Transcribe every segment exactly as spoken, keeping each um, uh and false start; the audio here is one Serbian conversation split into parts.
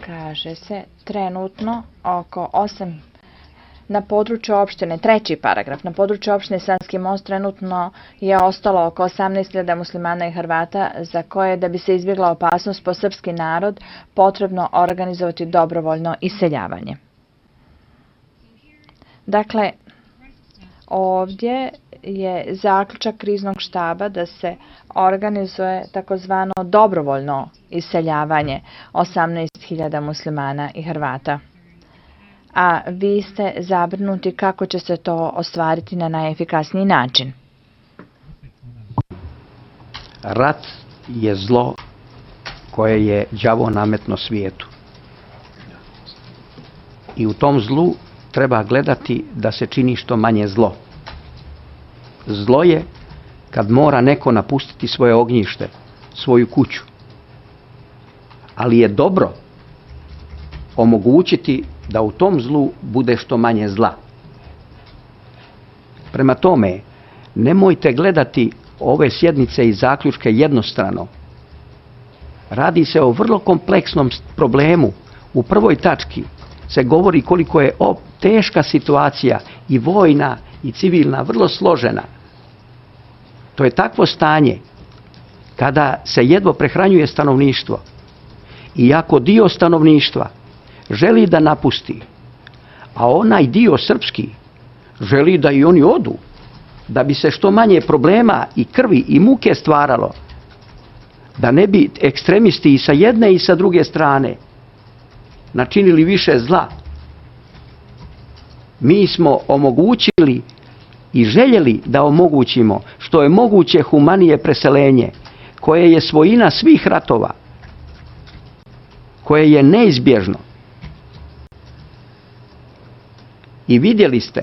kaže se trenutno oko osam na području opštine, treći paragraf, na području opštine Sanski Most trenutno je ostalo oko osamnaest hiljada muslimana i Hrvata za koje da bi se izbjegla opasnost po srpski narod potrebno organizovati dobrovoljno iseljavanje. Dakle, ovdje je zaključak kriznog štaba da se organizuje takozvano dobrovoljno iseljavanje osamnaest hiljada muslimana i Hrvata. A vi ste zabrinuti kako će se to ostvariti na najefikasniji način. Rat je zlo koje je đavo nametno svijetu. I u tom zlu treba gledati da se čini što manje zlo. Zlo je kad mora neko napustiti svoje ognjište, svoju kuću. Ali je dobro omogućiti da u tom zlu bude što manje zla. Prema tome, nemojte gledati ove sjednice i zaključke jednostrano. Radi se o vrlo kompleksnom problemu. U prvoj tački se govori koliko je teška situacija i vojna i civilna, vrlo složena. To je takvo stanje kada se jedva prehranjuje stanovništvo. I ako dio stanovništva želi da napusti, a onaj dio srpski želi da i oni odu, da bi se što manje problema i krvi i muke stvaralo, da ne bi ekstremisti i sa jedne i sa druge strane načinili više zla. Mi smo omogućili i željeli da omogućimo što je moguće humanije preselenje, koje je svojina svih ratova, koje je neizbježno. I vidjeli ste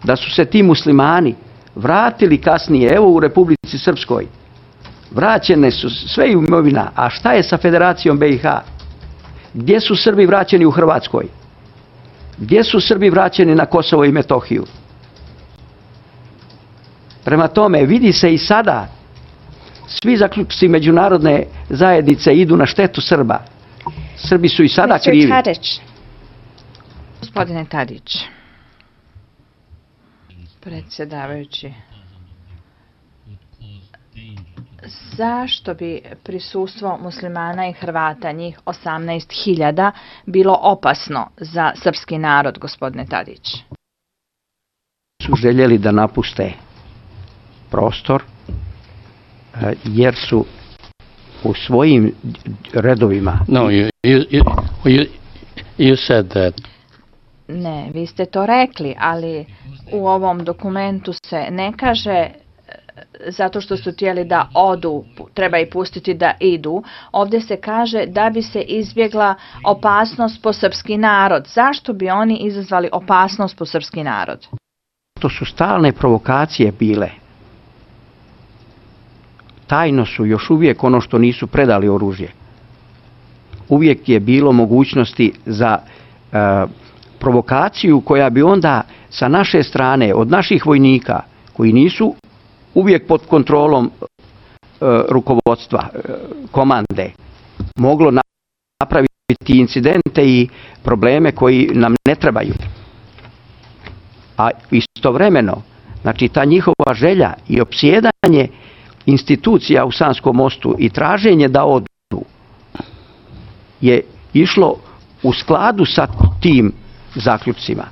da su se ti muslimani vratili kasnije, evo u Republici Srpskoj, vraćene su sve imovina, a šta je sa Federacijom B i H? Gdje su Srbi vraćeni u Hrvatskoj? Gdje su Srbi vraćeni na Kosovo i Metohiju? Prema tome, vidi se i sada, svi zaključci međunarodne zajednice idu na štetu Srba. Srbi su i sada krivi. Gospodine Tadić, predsjedavajući, zašto bi prisustvo muslimana i Hrvata, njih osamnaest hiljada, bilo opasno za srpski narod, gospodine Tadić? Su željeli da napuste prostor jer su u svojim redovima. No, you, you, you, you said that. Ne, vi ste to rekli, ali u ovom dokumentu se ne kaže zato što su htjeli da odu, treba i pustiti da idu. Ovdje se kaže da bi se izbjegla opasnost po srpski narod. Zašto bi oni izazvali opasnost po srpski narod? To su stalne provokacije bile. Tajno su još uvijek ono što nisu predali oružje. Uvijek je bilo mogućnosti za uh, provokaciju koja bi onda sa naše strane, od naših vojnika, koji nisu uvijek pod kontrolom uh, rukovodstva, uh, komande, moglo napraviti incidente i probleme koji nam ne trebaju. A istovremeno, znači ta njihova želja i opsjedanje institucija u Sanskom Mostu i traženje da odu je išlo u skladu sa tim zaključcima.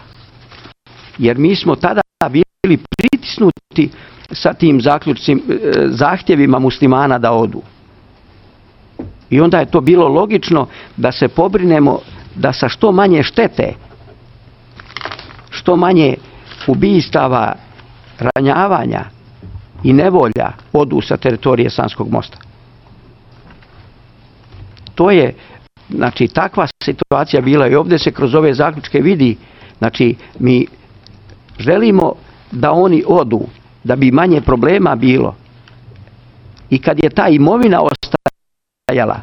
Jer mi smo tada bili pritisnuti sa tim zaključcima, zahtjevima muslimana da odu. I onda je to bilo logično da se pobrinemo da sa što manje štete, što manje ubistava, ranjavanja i nevolja odu sa teritorije Sanskog Mosta. To je, znači, takva situacija bila i ovdje se kroz ove zaključke vidi, znači, mi želimo da oni odu, da bi manje problema bilo. I kad je ta imovina ostajala,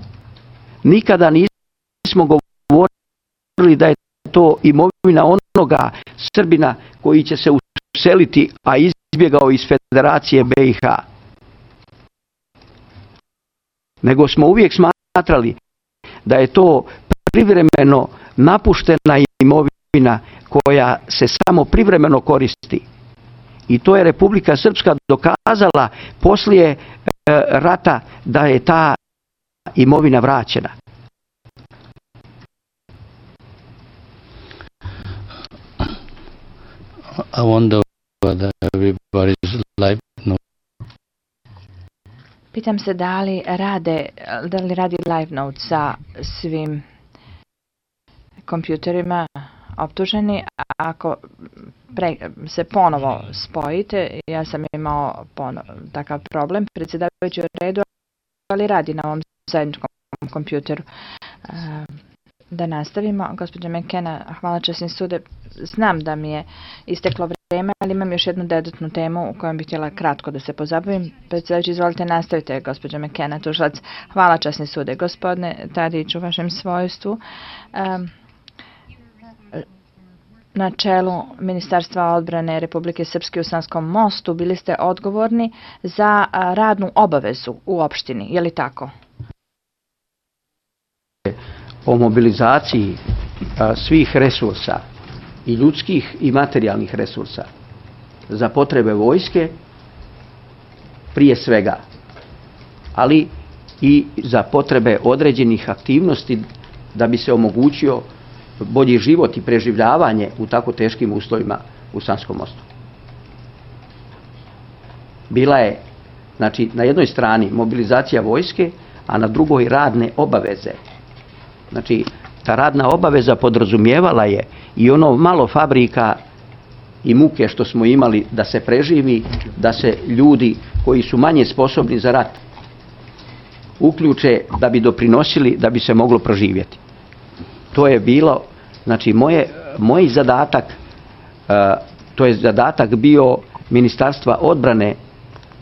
nikada nismo govorili da je to imovina onoga Srbina koji će se useliti, a izbjegao iz Federacije B i H. Nego smo uvijek smatrali da je to privremeno napuštena imovina koja se samo privremeno koristi. I to je Republika Srpska dokazala poslije e, rata da je ta imovina vraćena. I wonder whether everybody's live note. Pitam se da li rade, da li radi LiveNote sa svim kompjuterima optuženi. Ako pre, se ponovo spojite, ja sam imao pono, takav problem, predsjedavajući u redu, ali radi na ovom zajedničkom kompjuteru. Da nastavimo, gospođa McKenna, hvala časni sude. Znam da mi je isteklo vrijeme, ali imam još jednu dodatnu temu u kojom bih htjela kratko da se pozabavim. Predsjedavajući, izvolite, nastavite, gospođa McKenna, tužilac. Hvala časni sude. Gospodine Tadić, u vašem svojstvu, um, na čelu Ministarstva odbrane Republike Srpske u Sanskom mostu bili ste odgovorni za radnu obavezu u opštini, je li tako? O mobilizaciji a, svih resursa, i ljudskih i materijalnih resursa za potrebe vojske prije svega, ali i za potrebe određenih aktivnosti da bi se omogućio bolji život i preživljavanje u tako teškim uslovima u Sanskom mostu. Bila je, znači, na jednoj strani mobilizacija vojske, a na drugoj radne obaveze. Znači, ta radna obaveza podrazumijevala je i ono malo fabrika i muke što smo imali da se preživi, da se ljudi koji su manje sposobni za rat uključe da bi doprinosili, da bi se moglo proživjeti. To je bilo, znači, moje, moj zadatak, uh, to je zadatak bio Ministarstva odbrane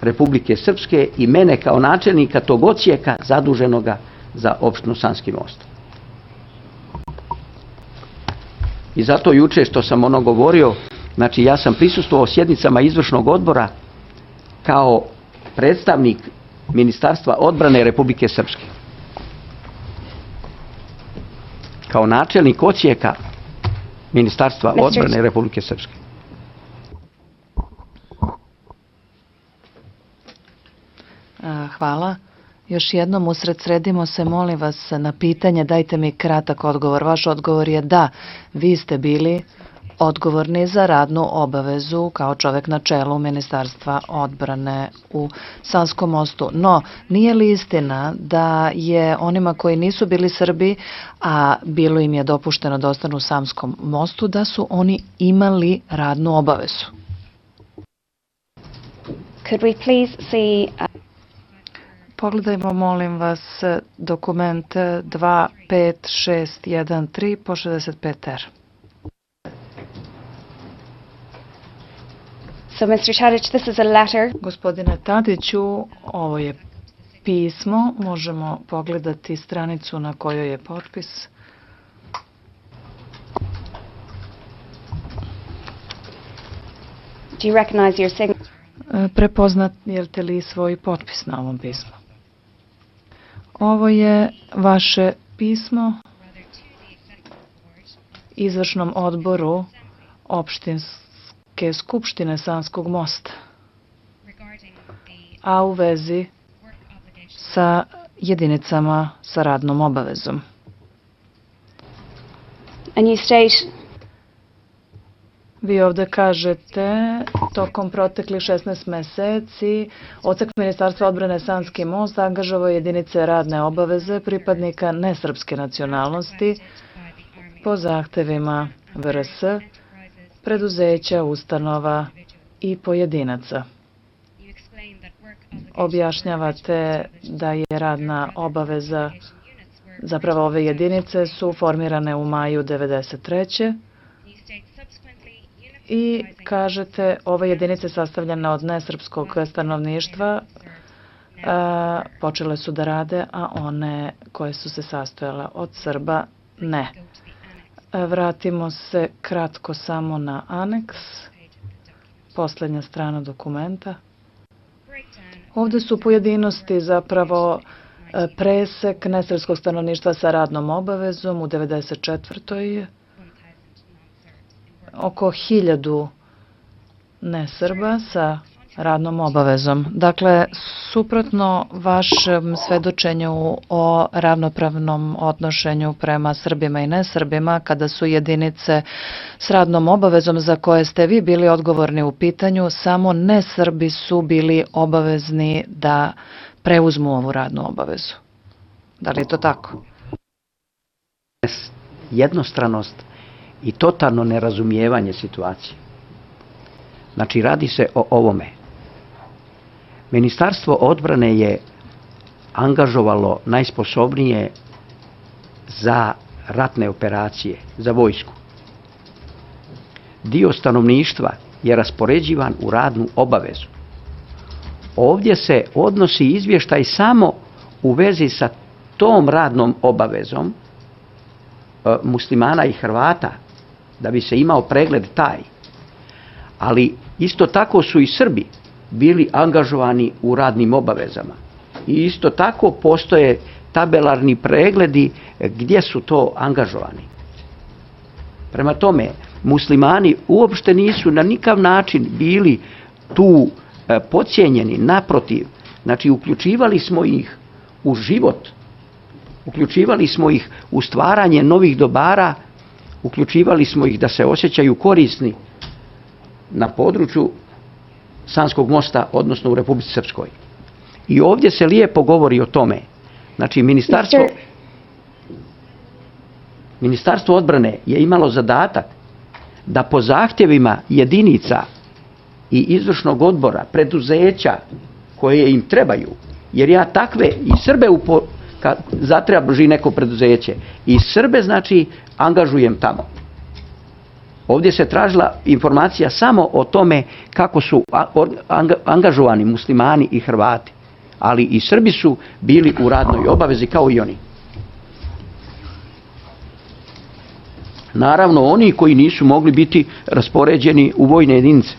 Republike Srpske i mene kao načelnika tog odsjeka zaduženoga za opštinu Sanski most. I zato juče što sam ono govorio, znači ja sam prisustvovao sjednicama izvršnog odbora kao predstavnik Ministarstva odbrane Republike Srpske. Kao načelnik odsjeka Ministarstva odbrane Republike Srpske. Hvala. Još jednom usredsredimo se, molim vas, na pitanje, dajte mi kratak odgovor. Vaš odgovor je da, vi ste bili odgovorni za radnu obavezu kao čovjek na čelu Ministarstva odbrane u Sanskom mostu. No, nije li istina da je onima koji nisu bili Srbi, a bilo im je dopušteno da ostanu u Sanskom mostu, da su oni imali radnu obavezu? Could we please see... Pogledajmo, molim vas, dokument dva pet šest jedan tri po šezdeset pet er. So, mister Tadić, this is a letter. Gospodine Tadiću, ovo je pismo. Možemo pogledati stranicu na kojoj je potpis. Do you recognize your signature? Prepoznajete li svoj potpis na ovom pismu? Ovo je vaše pismo izvršnom odboru opštinske skupštine Sanskog mosta, a u vezi sa jedinicama sa radnom obavezom. And you state... Vi ovdje kažete, tokom proteklih šesnaest meseci, odsek Ministarstva odbrane Sanski most angažovao jedinice radne obaveze pripadnika nesrpske nacionalnosti po zahtevima V R S, preduzeća, ustanova i pojedinaca. Objašnjavate da je radna obaveza, zapravo ove jedinice su formirane u maju devedeset treće. I kažete, ove jedinice sastavljene od nesrpskog stanovništva a, počele su da rade, a one koje su se sastojale od Srba ne. A, vratimo se kratko samo na aneks, posljednja strana dokumenta. Ovdje su pojedinosti zapravo presek nesrpskog stanovništva sa radnom obavezom u devedeset četvrtoj oko hiljadu nesrba sa radnom obavezom. Dakle, suprotno vašem svedočenju o ravnopravnom odnošenju prema Srbima i nesrbima, kada su jedinice s radnom obavezom za koje ste vi bili odgovorni u pitanju, samo nesrbi su bili obavezni da preuzmu ovu radnu obavezu. Da li je to tako? Jednostranost i totalno nerazumijevanje situacije. Znači, radi se o ovome. Ministarstvo odbrane je angažovalo najsposobnije za ratne operacije, za vojsku. Dio stanovništva je raspoređivan u radnu obavezu. Ovdje se odnosi izvještaj samo u vezi sa tom radnom obavezom e, muslimana i Hrvata, da bi se imao pregled taj. Ali isto tako su i Srbi bili angažovani u radnim obavezama. I isto tako postoje tabelarni pregledi gdje su to angažovani. Prema tome, muslimani uopšte nisu na nikav način bili tu e, podcijenjeni, naprotiv. Znači, uključivali smo ih u život, uključivali smo ih u stvaranje novih dobara, uključivali smo ih da se osjećaju korisni na području Sanskog mosta, odnosno u Republici Srpskoj. I ovdje se lijepo govori o tome. Znači, ministarstvo, ministarstvo odbrane je imalo zadatak da po zahtjevima jedinica i izvršnog odbora, preduzeća koje im trebaju, jer ja takve i Srbe upo, kad zatraži neko preduzeće, i Srbe, znači, angažujem tamo. Ovdje se tražila informacija samo o tome kako su angažovani muslimani i Hrvati, ali i Srbi su bili u radnoj obavezi kao i oni. Naravno, oni koji nisu mogli biti raspoređeni u vojne jedinice.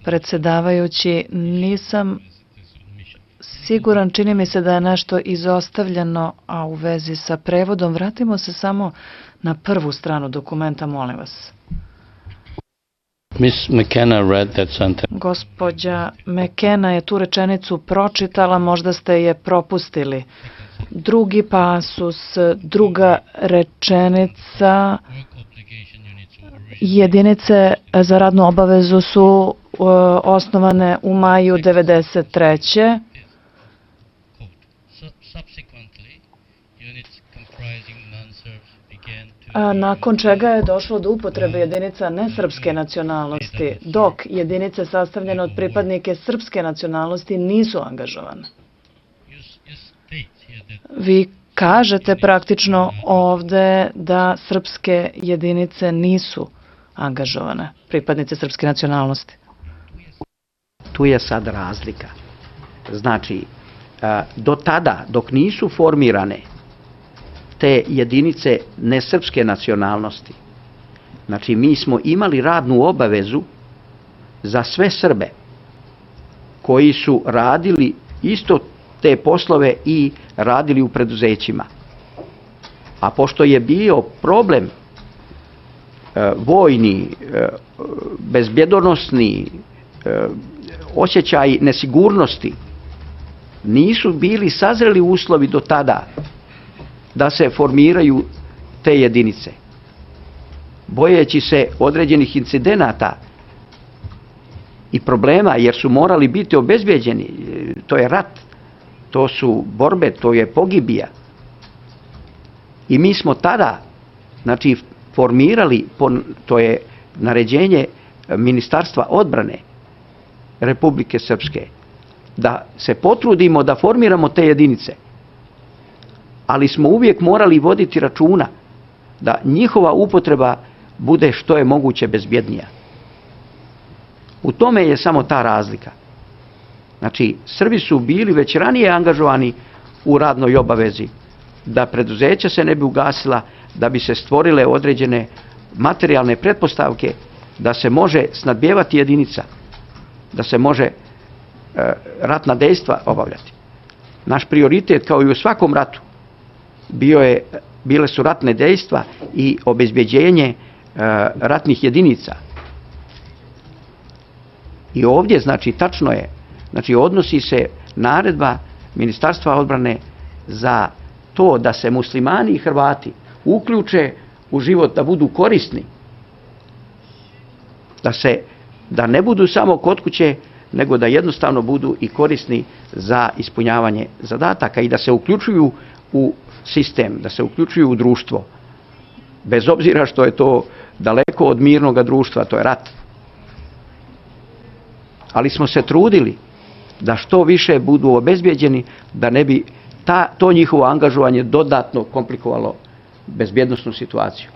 Predsjedavajući, nisam siguran, čini mi se da je nešto izostavljeno, a u vezi sa prevodom. Vratimo se samo na prvu stranu dokumenta, molim vas. Miss McKenna read that sentence. Gospođa McKenna je tu rečenicu pročitala, možda ste je propustili. Drugi pasus, druga rečenica, jedinice za radnu obavezu su uh, osnovane u maju devedeset treće. A nakon čega je došlo do upotrebe jedinica nesrpske nacionalnosti, dok jedinice sastavljene od pripadnike srpske nacionalnosti nisu angažovane. Vi kažete praktično ovde da srpske jedinice nisu angažovane, pripadnice srpske nacionalnosti. Tu je sad razlika. Znači, do tada, dok nisu formirane te jedinice nesrpske nacionalnosti, znači mi smo imali radnu obavezu za sve Srbe koji su radili isto te poslove i radili u preduzećima. A pošto je bio problem e, vojni, e, bezbjedonosni, e, osjećaj nesigurnosti, nisu bili sazreli uslovi do tada da se formiraju te jedinice. Bojeći se određenih incidenata i problema, jer su morali biti obezbeđeni, to je rat, to su borbe, to je pogibija. I mi smo tada, znači, formirali, to je naređenje Ministarstva odbrane Republike Srpske, da se potrudimo da formiramo te jedinice, ali smo uvijek morali voditi računa da njihova upotreba bude što je moguće bezbjednija. U tome je samo ta razlika. Znači, Srbi su bili već ranije angažovani u radnoj obavezi, da preduzeća se ne bi ugasila, da bi se stvorile određene materijalne pretpostavke da se može snadbijevati jedinica, da se može e, ratna dejstva obavljati. Naš prioritet, kao i u svakom ratu, bio je, bile su ratne dejstva i obezbeđenje e, ratnih jedinica. I ovdje, znači, tačno je, znači, odnosi se naredba Ministarstva odbrane za to da se muslimani i Hrvati uključe u život, da budu korisni, da se, da ne budu samo kod kuće, nego da jednostavno budu i korisni za ispunjavanje zadataka i da se uključuju u sistem, da se uključuju u društvo. Bez obzira što je to daleko od mirnog društva, to je rat. Ali smo se trudili da što više budu obezbijeđeni, da ne bi ta, to njihovo angažovanje dodatno komplikovalo bezbjednosnu situaciju.